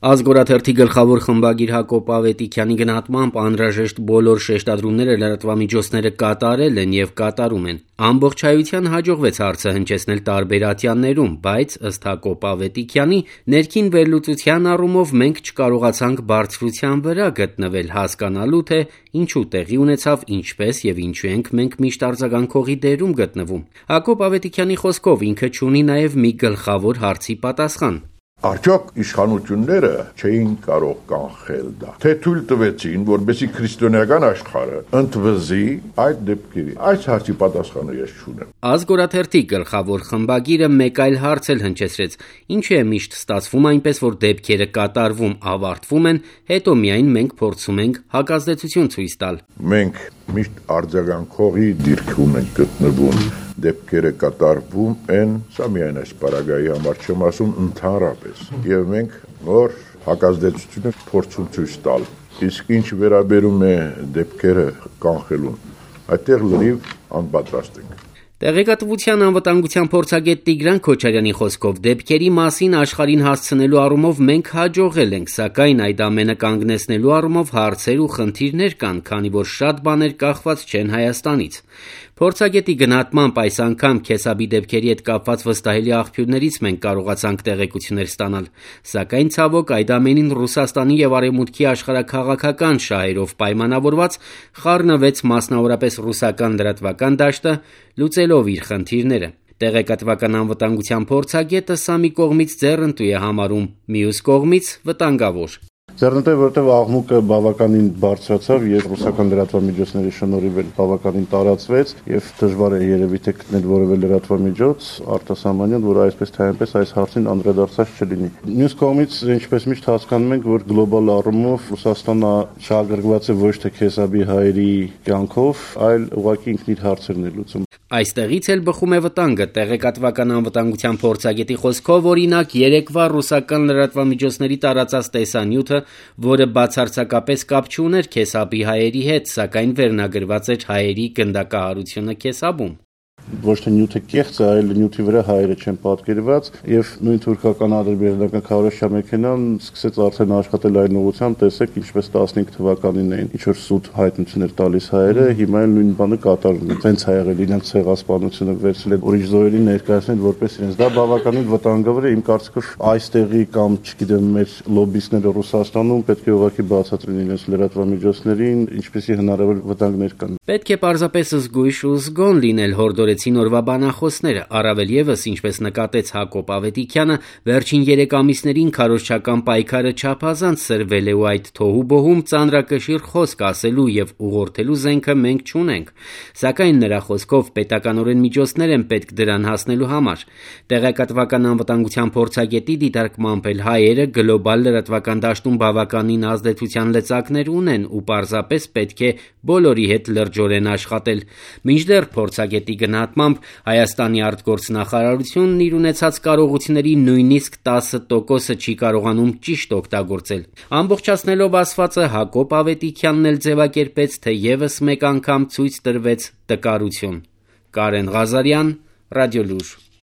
Ազգորաթերթի գլխավոր խմբագիր Հակոբ Ավետիքյանի գնահատմամբ անհրաժեշտ բոլոր շեշտադրումները լրատվամիջոցները կատարել են եւ կատարում են։ Ամբողջայության հաջողվեց հարցը հնչեցնել տարբեր ատյաններում, բայց ըստ Հակոբ Ավետիքյանի, ներքին վերլուծության առումով մենք չկարողացանք բարձրության վրա գտնվել հասկանալու, թե ինչու տեղի ունեցավ, ինչպես եւ ինչու ենք մենք միշտ արձագանքողի դերում գտնվում։ Հակոբ Ավետիքյանի խոսքով ինքը չունի նաեւ մի գլխավոր հարցի պատասխան։ Արդյոք իշխանությունները չէին կարող կանխել դա, թե թույլ տվեցին, որպեսզի քրիստոնեական աշխարհը ընդվզի այդ դեպքերի։ Այս հարցի պատասխանը ես չունեմ։ Ազգորաթերթի գլխավոր խմբագիրը մեկ այլ հարց էլ հնչեցրեց. ինչու է միշտ ստացվում այնպես, որ դեպքերը կատարվում, ավարտվում են, հետո միայն մենք փորձում ենք հակազդեցություն ցույց տալ։ Մենք միշտ արձագանքողի դիրքում ենք գտնվում, դեպքերը կատարվում են, սա միայն այս պարագայի համար չեմ ասում, ընդհանրապես, եւ մենք նոր հակազդեցությունը փորձում ցույց տալ։ Իսկ ինչ վերաբերում է դեպքերը կանխելուն, այդտեղ լրիվ անպատրաստ ենք։ Տեղեկատվության անվտանգության փորձագետ Տիգրան Քոչարյանի խոսքով դեպքերի մասին աշխարհին հասցնելու առումով մենք հաջողել ենք, սակայն այդ ամենը կանգնեցնելու առումով հարցեր ու խնդիրներ կան, քանի որ շատ բաներ կախված չեն Հայաստանից։ Փորձագետի գնահատմամբ այս անգամ Քեսաբի դեպքերի հետ կապված վստահելի աղբյուրներից մենք կարողացանք տեղեկություններ ստանալ, սակայն ցավոք այդ ամենին Ռուսաստանի եւ Արևմուտքի աշխարհաքաղաքական շահերով պայմանավորված խառնվեց մասնավորապես ռուսական լրատվական դաշտը, լուծելով իր խնդիրները։ Տեղեկատվական անվտանգության փորձագետը սա մի կողմից ձեռնտու է համարում, մյուս կողմից վտանգավոր։ Ձեռնտու է, որտեղ աղմուկը բավականին բարձրացավ եւ ռուսական լրատվամիջոցների շնորհիվ բավականին տարածվեց եւ դժվար է երևի թե գտնել որևէ լրատվամիջոց արտասահմանյան, որ այսպես թե այնպես այս հարցին անդրադարձած չլինի։ Մյուս կողմից, ինչպես միշտ հասկանում ենք, որ գլոբալ առումով Ռուսաստանը շահագրգռված է ոչ թե Քեսաբի հայերի կյանքով, այլ ուղղակի ինքն իր հարցերն է լուծում։ Այստեղից էլ բխում է վտանգը։ Տեղեկատվական անվտանգության փորձագետի խոսքով, օրինակ, երեկվա ռուսական լրատվամիջոցների տարածած տեսանյութը, որը բացարձակապես կապ չուներ Քեսաբի հայերի հետ, սակայն վերնագրված էր հայերի գնդակահարությունը Քեսաբում։ Ոչ թե նյութը կեղծ է, այլ նյութի վրա հայերը չեն պատկերված եւ նույն թուրքական ադրբեջանական քարոշչա մեքենան սկսեց արդեն աշխատել այն ուղղությամբ, տեսեք ինչպես 15 թվականին էին ինչ որ սուտ հայտնություններ տալիս հայերը, հիմա էլ նույն բանը կատարվում է։ Հենց ա եղել իրենց ցեղասպանությունը վերցրել են ուրիշ զոհերին ներկայացնել որպես իրենց։ Դա բավականին վտանգավոր է, իմ կարծիքով այստեղի կամ չգիտեմ մեր լոբիստները Ռուսաստանում պետք է ուղղակի բացատրեն իրենց լրատվամիջոցներին, ինչպեսի հնարավոր վտանգներ կան։ Պետք է պարզապես զգույշ ու զգոն լինել հորդորեցին օրվա բանախոսները, առավել եւս, ինչպես նկատեց Հակոբ Ավետիքյանը, վերջին 3 ամիսներին քարոզչական պայքարը չափազանց սրվել է ու այդ թոհուբոհում ծանրակշիռ խոսք ասելու եւ ուղղորդելու զենքը մենք չունենք, սակայն նրա խոսքով պետականորեն միջոցներ են պետք դրան հասնելու համար։ Տեղեկատվական անվտանգության փորձագետի դիտարկմամբ էլ հայերը գլոբալ լրատվական դաշտում բավականին ազդեցության լծակներ ունեն ու պարզապես պետք է բոլորի հետ լրջորեն աշխատել։ Մինչդեռ փորձագետի գնահատմամբ Հայաստանի արտգործնախարարությունն իր ունեցած կարողությունների նույնիսկ 10%-ը չի կարողանում ճիշտ օգտագործել։ Ամբողջացնելով ասվածը Հակոբ Ավետիքյանն էլ ձևակերպեց, թե եւս մեկ անգամ ցույց տրվեց տկարություն։ Կարեն Ղազարյան, Ռադիոլուր։